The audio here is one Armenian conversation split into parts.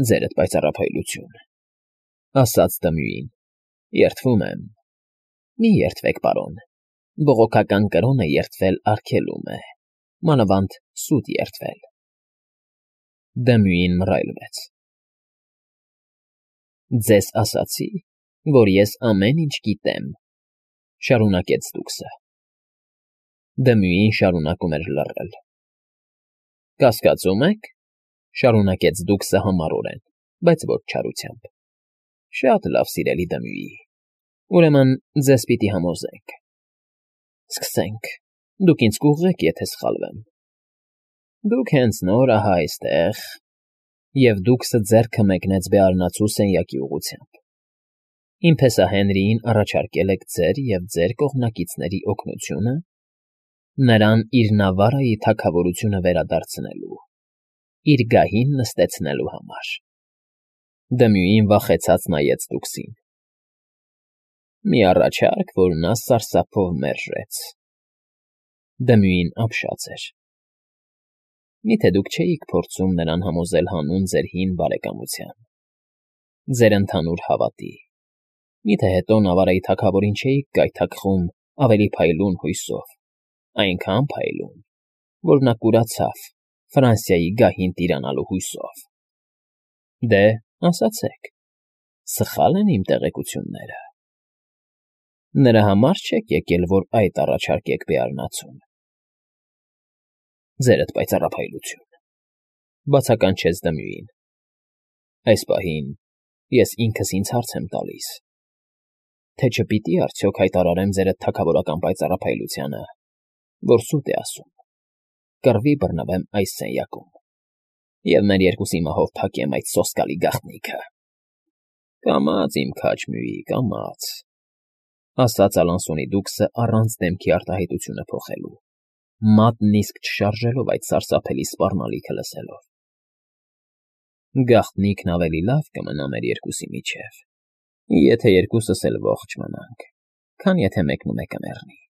Ձերդ պայծառափայլություն, ասաց Դմյուին, երդվում եմ։ Մի երդվեք, պարոն, բողոքական կրոնը երդվել արգելում է, մանավանդ սուտ երդվել։ Դմյուին մռայլվեց։ Ձեզ ասացի, որ ես ամեն ինչ գիտեմ, շարունակեց դուքսը։ Դմյուին շարունակում էր լռել։ Կասկածում եք, շարունակեց դուքսը համառորեն, բայց ոչ չարությամբ։ Շատ լավ, սիրելի Դմյուի, ուրեմն ձեզ պիտի համոզենք։ Սկսենք, դուք ինձ կուղղեք, եթե սխալվեմ։ Դուք հենց նոր ահա այստեղ, և դուքսը ձեռքը մեկնեց բեարնացու սենյակի ուղղությամբ։ Իմ փեսա Հենրիին առաջարկել եք ձեր և ձեր կողմնակիցների օգնությունը նրան իր Նավարայի թագավորությունը վերադարձնելու, իր գահին նստեցնելու համար։ Դմյուին վախեցած նայեց դուքսին։ Մի առաջարկ, որ նա սարսափով մերժեց։ Դմյուին ապշած էր։ Միթե դուք չէիք փորձում նրան համոզել հանուն ձեր հին բարեկամության, ձեր ընդհանուր հավատի։ Միթե հետո Նավարայի թագավորին չէիք գայթակղում ավելի փայլուն հույսով, այնքան փայլուն, որ նա կուրացավ Ֆրանսիայի գահին տիրանալու հույսով։ Դե, ասացեք, սխա՞լ են իմ տեղեկությունները։ Նրա համար չեք եկել, որ այդ առաջարկեք բեարնացուն։ Ձերդ պայծառափայլություն, բացականչեց Դմյուին։ Այս պահին ես ինքս ինձ հարց եմ տալիս, թե չպիտի արդյոք հայտարարեմ ձերդ թագավորական պայծառափայլությանը, որ սուտ է ասում, կռվի բռնվեմ այս սենյակում, և մեր երկուսի մահով փակեմ այդ սոսկալի գաղտնիքը։ Կամաց, իմ քաջ Մյուի, կամաց, ասաց Ալանսոնի դուքսը առանց դեմքի արտահայտությունը փոխելու, մատն իսկ չշարժելով այդ սարսափելի սպառնալիքը լսելով։ Գաղտնիքն ավելի լավ կմնա մեր երկուսի միջև, եթե երկուսս էլ ողջ մնանք, քան եթե մեկնումեկը մեռնի։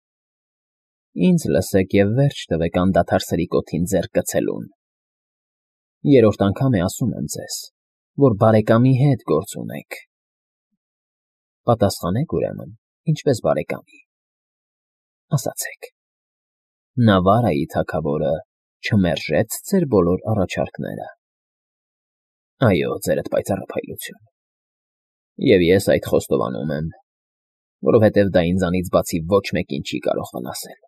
Ինձ լսեք և վերջ տվեք անդադար սրիկոթին ձեռք գցելուն։ Երրորդ անգամ է ասում եմ ձեզ, որ բարեկամի հետ գործ ունեք։ Պատասխանեք, ուրեմն, ինչպես բարեկամի։ Ասացեք, Նավարայի թագավորը չմերժեց ձեր բոլոր առաջարկները։ Այո, ձերդ պայծառափայլություն։ Եվ ես այդ խոստովանում եմ, որովհետև դա ինձանից բացի ոչ մեկին չի կարող վնասել։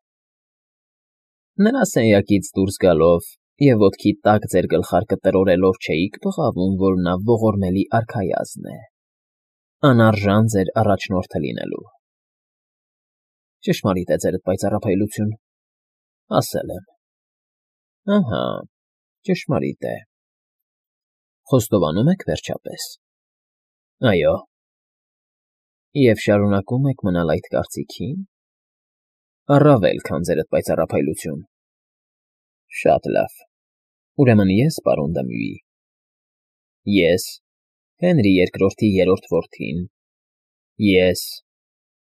Նրա սենյակից դուրս գալով և ոտքի տակ ձեր գլխարկը տրորելով չէիք բղավում, որ նա ողորմելի արքայազն է, անարժան ձեր առաջնորդը լինելու։ Ճշմարիտ է, ձերդ պայծառափայլություն, ասել եմ։ Ահա, ճշմարիտ է։ Խոստովանում եք վերջապես։ Այո։ Եվ շարունակում եք մնալ այդ կարծիքին։ Առավել, քան ձերդ պայծառափայլություն։ Շատ լավ։ Ուրեմն ես, պարոն Դմյուի, ես, Հենրի II-ի երրորդ որդին, ես,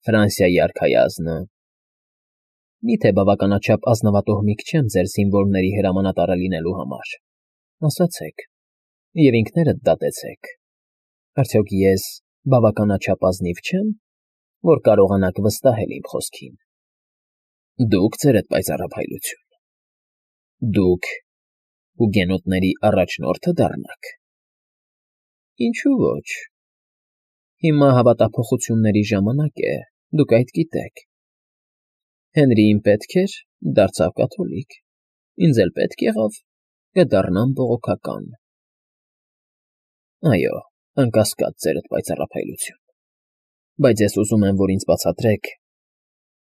Ֆրանսիայի արքայազնը, միթե բավականաչափ ազնվատոհմիկ չեմ ձեր զինվորների հրամանատարը լինելու համար։ Ասացեք, և ինքներդ դատեցեք, արդյոք ես բավականաչափ ազնիվ չեմ, որ կարողանաք վստահել իմ խոսքին։ Դուք, ձերդ պայծառափայլություն, դուք հուգենոտների առաջնորդը դառնաք։ Ինչու ոչ։ Հիմա հավատափոխությունների ժամանակ է, դուք այդ գիտեք։ Հենրիին պետք էր, դարձավ կաթոլիկ, ինձ էլ պետք եղավ, կդառնամ բողոքական։ Այո, անկասկած, ձերդ պայծառափայլություն, բայց ես ուզում եմ, որ ինձ բացատրեք,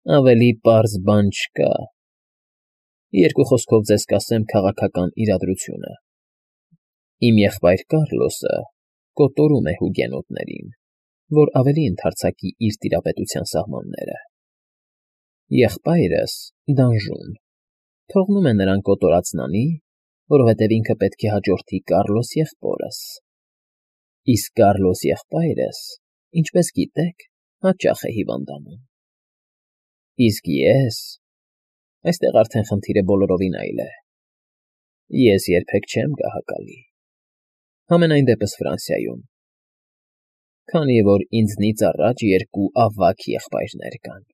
ավելի պարզ բան չկա։ Երկու խոսքով ձեզ կասեմ քաղաքական իրադրությունը։ Իմ եղբայր Կառլոսը կոտորում է հուգենոտներին, որ ավելի ընդարձակի իր տիրապետության սահմանները։ Եղբայրս՝ Դանժուն, թողնում է նրան կոտորածն անի, որովհետև ինքը պետք է հաջորդի Կառլոս եղբորս։ Իսկ Կառլոս եղբայրս, ինչպես գիտեք, հաճախ է հիվանդանում։ Իսկ ես… Այստեղ արդեն խնդիրը բոլորովին այլ է։ Ես երբեք չեմ գահակալի։ Համենայն դեպս Ֆրանսիայում, քանի որ ինձնից առաջ երկու ավագ եղբայրներ կան,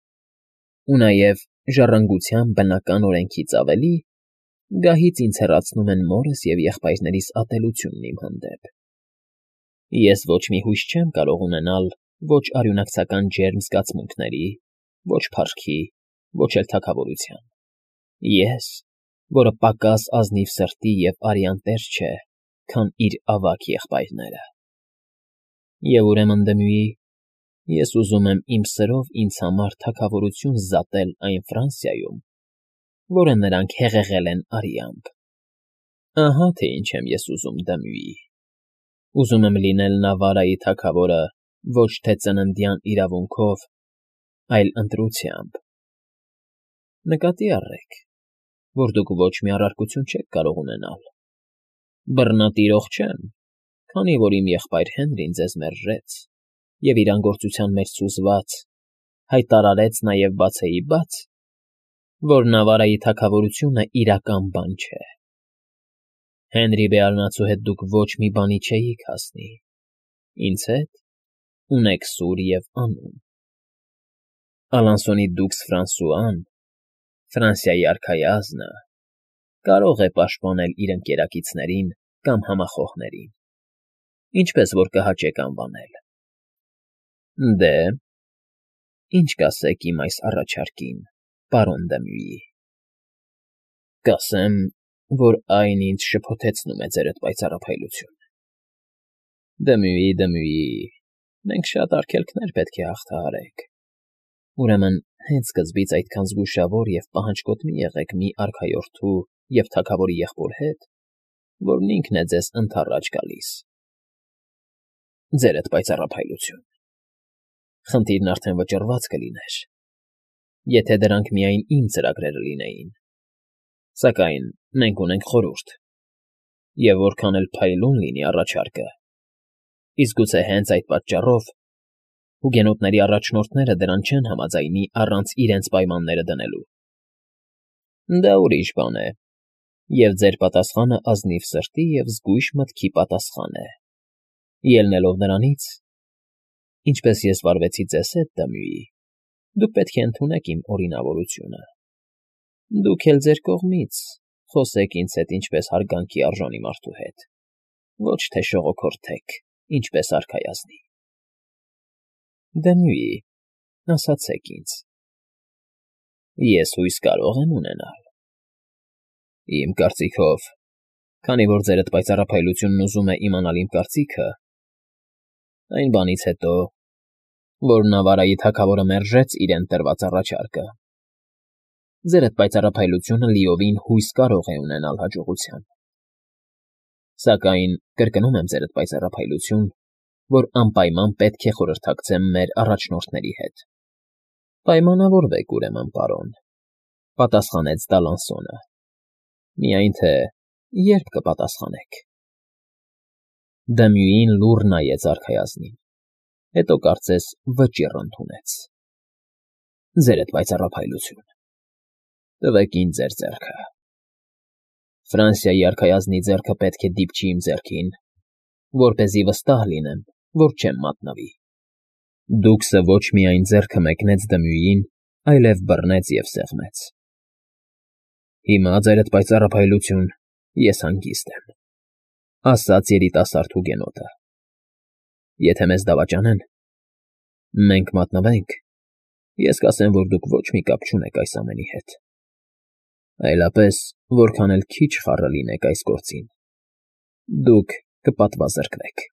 ու նաև ժառանգության բնական օրենքից ավելի, գահից ինձ հեռացնում են մորս և եղբայրներիս ատելությունն իմ հանդեպ։ Ես ոչ մի հույս չեմ կարող ունենալ ոչ արյունակցական ջերմ զգացմունքների, ոչ փառքի, ոչ էլ թագավորության։ Ես, որը պակաս ազնիվ սրտի և արյան տեր չէ, քան իր ավագ եղբայրները։ Եվ ուրեմն, Դմյուի, ես ուզում եմ իմ սրով ինձ համար թագավորություն զատել այն Ֆրանսիայում, որը նրանք հեղեղել են արյամբ։ Ահա թե ինչ եմ ես ուզում, Դմյուի։ Ուզում եմ լինել Նավարայի թագավորը ոչ թե ծննդյան իրավունքով, այլ ընտրությամբ։ Նկատի առեք, որ դուք ոչ մի առարկություն չեք կարող ունենալ։ Բռնատիրող չեմ, քանի որ իմ եղբայր Հենրին ձեզ մերժեց և իր անգործության մեջ սուզված հայտարարեց նաև բացեիբաց, որ Նավարայի թագավորությունը իրական բան չէ։ Հենրի բեարնացու հետ դուք ոչ մի բանի չէիք հասնի, ինձ հետ ունեք սուր և անուն։ Ալանսոնի դուքս Ֆրանսուան, Ֆրանսիայի արքայազնը, կարող է պաշտպանել իր ընկերակիցներին կամ համախոհներին, ինչպես որ կհաճեք անվանել։ Դե, ի՞նչ կասեք իմ այս առաջարկին, պարոն Դմյուի։ Կասեմ, որ այն ինձ շփոթեցնում է ձերդ պայծառափայլություն։ Դմյուի, մենք շատ արգելքներ պետք է հաղթահարենք։ Ուրեմն հենց սկզբից այդքան զգուշավոր և պահանջկոտ մի եղեք մի արքայորդու և թագավորի եղբոր հետ, որն ինքն է ձեզ ընդառաջ գալիս։ Ձերդ պայծառափայլություն։ Խնդիրն արդեն վճռված կլիներ, եթե դրանք միայն իմ ծրագրերը լինեին, սակայն մենք ունենք խորհուրդ, և որքան էլ փայլուն լինի առաջարկը, իսկ գուցե հենց այդ պատճառով հուգենոտների առաջնորդները դրան չեն համաձայնի առանց իրենց պայմանները դնելու։ Դա ուրիշ բան է, և ձեր պատասխանը ազնիվ սրտի և զգույշ մտքի պատասխան է, ելնելով նրանից, ինչպես ես վարվեցի ձեզ հետ, Դմյուի, դուք պետք է ընդունեք իմ օրինավորությունը։ Դուք էլ ձեր կողմից խոսեք ինձ հետ ինչպես հարգանքի արժանի մարդու հետ, ոչ թե շողոքորթեք, ինչպես արքայազնի։ Դմյուի, ասացեք ինձ. ես հույս կարո՞ղ եմ ունենալ։ Իմ կարծիքով, քանի որ ձերդ պայծառափայլությունն ուզում է իմանալ իմ կարծիքը, այն բանից հետո, որ Նավարայի թագավորը մերժեց իրեն տրված առաջարկը, ձերդ պայծառափայլությունը լիովին հույս կարող է ունենալ հաջողության։ Սակայն կրկնում եմ ձերդ պայծառափայլություն, որ անպայման պետք է խորհրդակցեմ մեր առաջնորդների հետ։ Պայմանավորվեք, ուրեմն, պարոն, պատասխանեց Դալանսոնը։ Միայն թե երբ կպատասխանեք։ Դմյուին լուռ նայեց արքայազնին, հետո կարծես վճիռ ընդունեց։ Ձերդ պայծառափայլություն, տվեք ինձ ձեր ձեռքը։ Ֆրանսիայի արքայազնի ձեռքը պետք է դիպչի իմ ձեռքին, որպեսզի վստահ լինեմ, որ չեմ մատնվի։ Դուքսը ոչ միայն ձեռքը մեկնեց Դմյուիին, այլև բռնեց և սեղմեց։ Հիմա, ձերդ պայծառափայլություն, ես հանգիստ եմ, ասաց երիտասարդ հուգենոտը։ Եթե մեզ դավաճանեն, մենք մատնվենք, ես կասեմ, որ դուք ոչ մի կապ չունեք այս ամենի հետ, այլապես որքան էլ քիչ խառը լինեք այս գործին, դուք կպատվազրկվեք։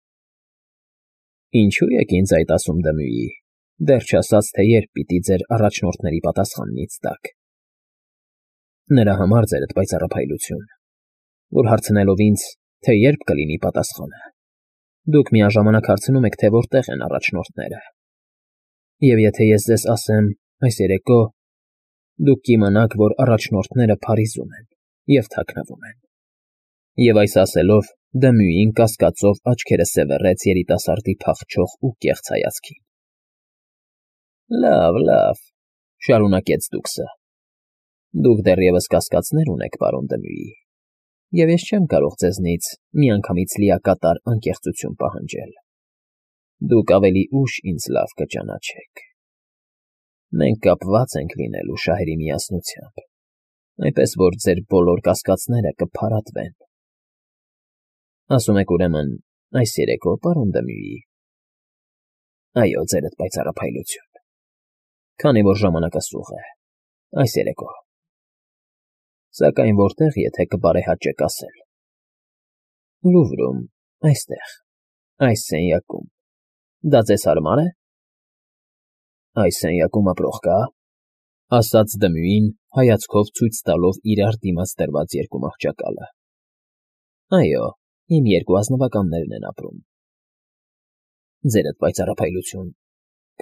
Ինչո՞ւ եք ինձ այդ ասում, Դմյուի, դեռ չասած, թե երբ պիտի ձեր առաջնորդների պատասխանն ինձ տաք։ Նրա համար, ձերդ պայծառափայլություն, որ հարցնելով ինձ, թե երբ կլինի պատասխանը, դուք միաժամանակ հարցնում եք, թե որտեղ են առաջնորդները։ Եվ եթե ես ձեզ ասեմ այս երեկո, դուք կիմանաք, որ առաջնորդները Փարիզում են և թաքնվում են։ Եվ այս ասելով Դմյուին կասկածով աչքերը սևեռեց երիտասարդի փախչող ու կեղծ հայացքին։ Լավ, շարունակեց դուքսը։ Դուք դեռևս կասկածներ ունեք, պարոն Դմյուի, Եվ ես չեմ կարող ձեզնից միանգամից լիակատար անկեղծություն պահանջել. դուք ավելի ուշ ինձ լավ կճանաչեք։ Մենք կապված ենք լինելու շահերի միասնությամբ, այնպես որ ձեր բոլոր կասկածները կփարատվեն։ Ասում եք ուրեմն այս երեկո, պարոն Դմյուի։ Այո, ձերդ պայծառափայլություն, քանի որ ժամանակը սուղ է, այս երեկո։ Սակայն որտեղ, եթե կբարեհաճեք ասել։ Լուվրում, այստեղ, այս սենյակում։ Դա ձեզ հարմար է։ Այս սենյակում ապրող կա, ասաց Դմյուին, հայացքով ցույց տալով իրար դիմաց դրված երկու մահճակալը։ Այո, իմ երկու ազնվականներն են ապրում։ Ձերդ պայծառափայլություն,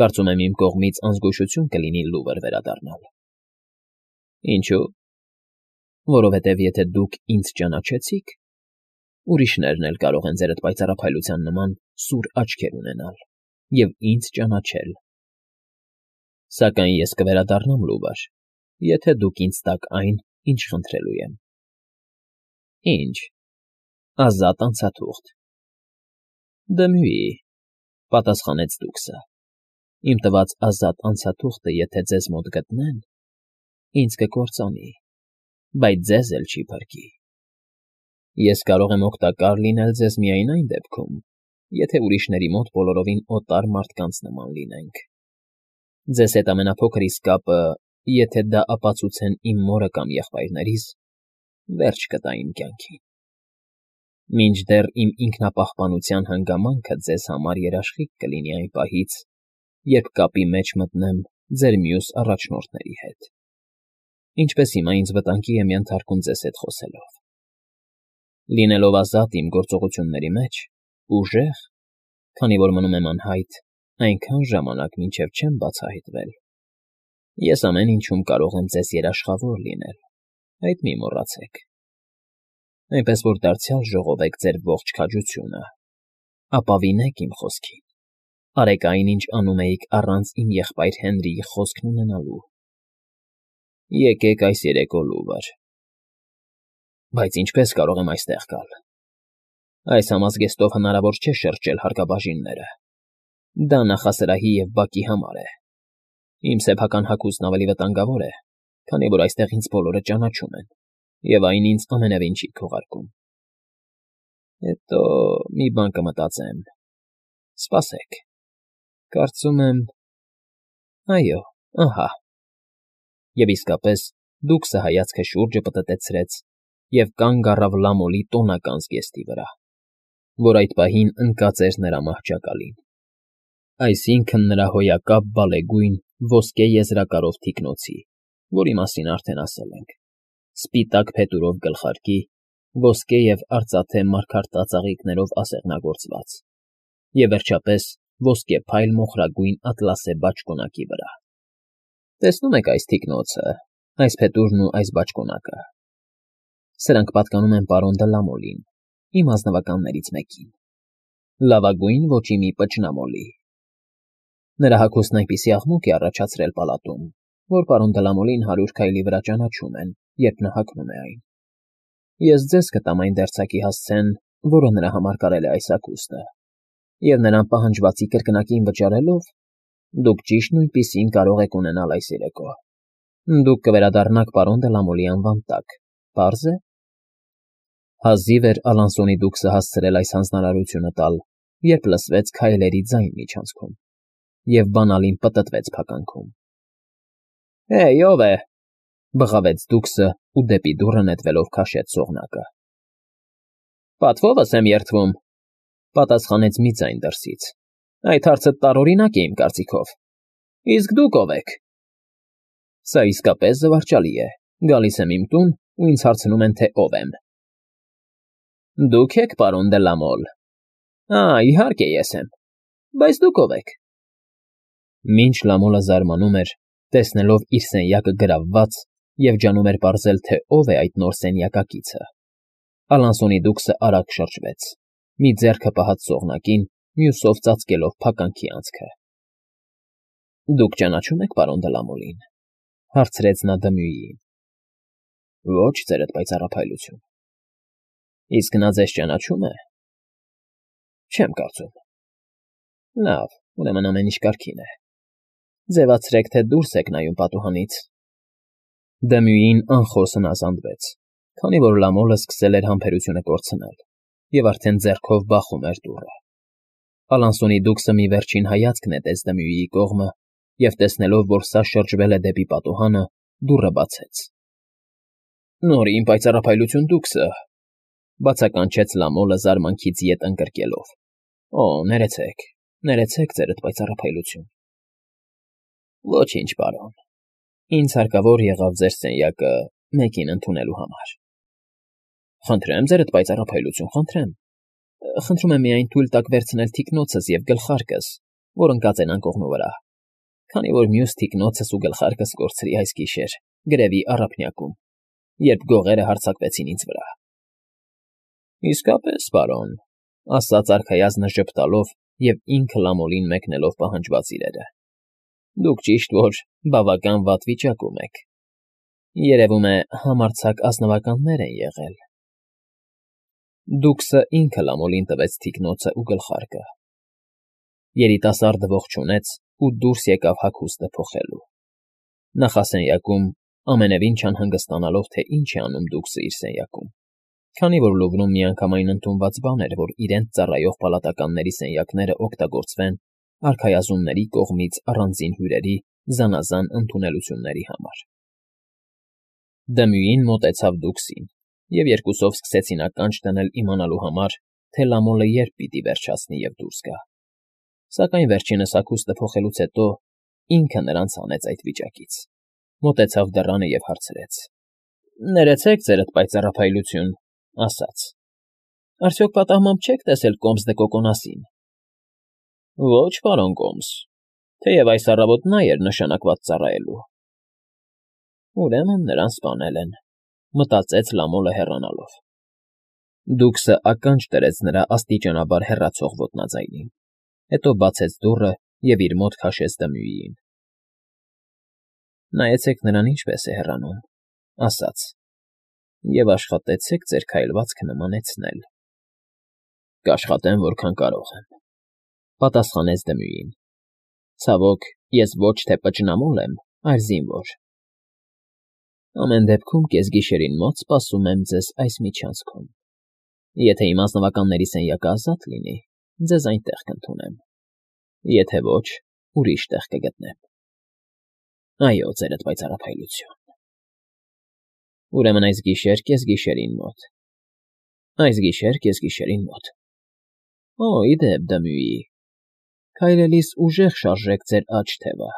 կարծում եմ իմ կողմից անզգուշություն կլինի Լուվր վերադառնալ։ Ինչու՞։ Որովհետև եթե դուք ինձ ճանաչեցիք, ուրիշներն էլ կարող են ձերդ պայծառափայլության նման սուր աչքեր ունենալ և ինձ ճանաչել։ Սակայն ես կվերադառնամ Լուվր, եթե դուք ինձ տաք այն, ինչ խնդրելու եմ։ Ինչ։ Ազատ անցաթուղթ։ Դմյուի, պատասխանեց դուքսը։ Իմ տված ազատ անցաթուղթը, եթե ձեզ մոտ գտնեն, ինձ կկործանի, բայց ձեզ էլ չի փրկի։ Ես կարող եմ օգտակար լինել ձեզ միայն այն դեպքում, եթե ուրիշների մոտ բոլորովին օտար մարդկանց նման լինենք։ Ձեզ հետ ամենափոքր իսկ կապը, եթե դա ապացուցեն իմ մորը կամ եղբայրներիս, վերջ կտա իմ կյանքին։ Մինչդեռ իմ ինքնապահպանության հանգամանքը ձեզ համար երաշխիք կլինի այն պահից, երբ կապի մեջ մտնեմ ձեր մյուս առաջնորդների հետ, ինչպես հիմա ինձ վտանգի եմ ենթարկում ձեզ հետ խոսելով։ Լինելով ազատ իմ գործողությունների մեջ, ուժեղ, քանի որ մնում եմ անհայտ, այնքան ժամանակ մինչև չեմ բացահայտվել, ես ամեն ինչում կարող եմ ձեզ երաշխավոր լինել, այդ մի մոռացեք։ Այնպես որ դարձյալ ժողովեք ձեր ողջ քաջությունը, ապավինեք իմ խոսքին, արեք այն, ինչ անում էիք առանց իմ եղբայր Հենրիի խոսքն ունենալու։ Եկեք այս երեկո Լուվր։ Բայց ինչպես կարող եմ այստեղ գալ։ Այս համազգեստով հնարավոր չէ շրջել հարկաբաժինները։ Դա նախասրահի և բակի համար է։ Իմ սեփական հագուստն ավելի վտանգավոր է, քանի որ այստեղ ինձ բոլորը ճանաչում են, և այն ինձ ամենևին չի քողարկում։ Հետո մի բան կմտածեմ։ Սպասեք։ Կարծում եմ… Այո, ահա։ Եվ իսկապես դուքսը հայացքը շուրջը պտտեցրեց և կանգ առավ Լամոլի տոնական զգեստի վրա, որ այդ պահին ընկած էր նրա մահճակալին, այսինքն նրա հոյակապ բալեգույն ոսկե եզրակարով թիկնոցի, որի մասին արդեն ասել ենք, սպիտակ փետուրով գլխարկի, ոսկե և արծաթե մարգարտածաղիկներով ասեղնագործված, և վերջապես ոսկե փայլ մոխրագույն ատլասե բաճկոնակի վրա։ Տեսնում եք այս թիկնոցը, այս փետուրն ու այս բաճկոնակը։ Սրանք պատկանում են պարոն Դը Լամոլին, իմ ազնվականներից մեկին, լավագույն ոճի մի պճնամոլի։ Նրա հագուստն այնպիսի աղմուկ է առաջացրել պալատում, որ պարոն Դը Լամոլին 100 քայլի վրա ճանաչում են, երբ նա հագնում է այն։ Ես ձեզ կտամ այն դերձակի հասցեն, որը նրա համար կարել է այս հագուստը, և նրան պահանջվածի կրկնակին վճարելով, դուք ճիշտ նույնպիսին կարող եք ունենալ այս երեկո։ Դուք կվերադառնաք պարոն Դը Լամոլի անվան տակ, պարզ է։ Հազիվ էր Ալանսոնի դուքսը հասցրել այս հանձնարարությունը տալ, երբ լսվեց քայլերի ձայն միջանցքում, և բանալին պտտվեց փականքում։ Հեյ, ո՞վ է,֊ բղավեց դուքսը ու դեպի դուռը նետվելով քաշեց սողնակը։ Պատվովս եմ երդվում,֊ պատասխանեց մի ձայն դրսից։ Այդ հարցը տարօրինակ է իմ կարծիքով։ Իսկ դուք ո՞վ եք։ Սա իսկապես զվարճալի է, գալիս եմ իմ տուն ու ինձ հարցնում են, թե ով եմ։ Դուք եք պարոն Դը Լամոլ։ Իհարկե ես եմ, բայց դուք ով եք։ Մինչ Լամոլը զարմանում էր, տեսնելով իր սենյակը գրավված և ջանում էր պարզել, թե ով է այդ նոր սենյակակիցը, Ալանսոնի դուքսը արագ շրջվեց, մի ձեռքը պահած սողնակին, մյուսով ծածկելով փականքի անցքը։ Դուք ճանաչում եք պարոն Դը Լամոլին,֊ հարցրեց նա Դմյուիին։ Ոչ, ձերդ պայծառափայլություն։ Իսկ նա ձեզ ճանաչում է։ Չեմ կարծում։ Լավ, ուրեմն ամեն ինչ կարգին է։ Ձևացրեք, թե դուրս եք նայում պատուհանից։ Դմյուին անխոս հնազանդվեց, քանի որ Լամոլը սկսել էր համբերությունը կորցնել և արդեն ձեռքով բախում էր դուռը։ Ալանսոնի դուքսը մի վերջին հայացք նետեց Դմյուիի կողմը և, տեսնելով, որ սա շրջվել է դեպի պատուհանը, դուռը բացեց։ Նորին պայծառափայլություն դուքսը, բացականչեց Լամոլը զարմանքից ետ ընկրկելով։ Օ, ներեցեք ձերդ պայծառափայլություն։ Ոչինչ, պարոն։ Ինձ հարկավոր եղավ ձեր սենյակը մեկին ընդունելու համար։ Խնդրեմ ձերդ պայծառափայլություն, խնդրեմ։ Խնդրում եմ միայն թույլ տաք վերցնել թիկնոցս և գլխարկս, որ ընկած են անկողնու վրա, քանի որ մյուս թիկնոցս ու գլխարկս կորցրի այս գիշեր գրևի առափնյակում, երբ գողերը հարձակվեցին ինձ վրա։ Իսկապես, պարոն, ասաց արքայազնը ժպտալով և ինքը Լամոլին մեկնելով պահանջված իրերը։ Դուք ճիշտ որ բավական վատ վիճակում եք։ Երևում է համարձակ ազնվականներ են եղել։ Դուքսը ինքը Լամոլին տվեց թիկնոցը ու գլխարկը։ Երիտասարդը ողջունեց ու դուրս եկավ հագուստը փոխելու։ Նախասենյակում ամենևին չանհանգստանալով, թե ինչ է անում դուքսը իր սենյակում, քանի որ Լուվրում միանգամայն ընդունված բան էր, որ իրենց ծառայող պալատականների սենյակները օգտագործվեն արքայազնների կողմից առանձին հյուրերի զանազան ընդունելությունների համար։ Դմյուին մոտեցավ դուքսին, և երկուսով սկսեցին ականջ դնել իմանալու համար, թե Լամոլը երբ պիտի վերջացնի և դուրս գա։ Սակայն վերջինս հագուստը փոխելուց հետո ինքը նրանց հանեց այդ վիճակից, մոտեցավ դռանը և հարցրեց. Ներեցեք ձերդ պայծառափայլություն, ասաց. Արդյոք պատահմամբ չեք տեսել Կոմս դե Կոկոնասին։ Ոչ, պարոն Կոմս, թեև այս առավոտ նա էր նշանակված ծառայելու։ Ուրեմն նրան սպանել են, մտածեց Լամոլը հեռանալով։ Դուքսը ականջ դրեց նրա աստիճանաբար հեռացող ոտնաձայնին, հետո բացեց դուռը և իր մոտ քաշեց Դմյուիին։ Նայեցեք նրան ինչպես է հեռանում, ասաց, և աշխատեցեք ձեր քայլվածքը նմանեցնել։ Կաշխատեմ, որքան կարող եմ, պատասխանեց Դմյուին։ Ցավոք, ես ոչ թե պճնամոլ եմ, այլ զինվոր։ Ամեն դեպքում կեսգիշերին մոտ սպասում եմ ձեզ այս միջանցքում։ Եթե իմ ազնվականների սենյակը ազատ լինի, ձեզ այնտեղ կընդունեմ, եթե ոչ, ուրիշ տեղ կգտնեմ։ Այո, ձերդ պայծառափայլություն։ Ուրեմն այս գիշեր կեսգիշերին մոտ։ Այս գիշեր կեսգիշերին մոտ։ Օ, ի դեպ, Դմյուի, քայլելիս ուժեղ շարժեք ձեր աջ թևը։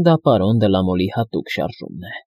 Դա պարոն Դե Լամոլի հատուկ շարժումն է։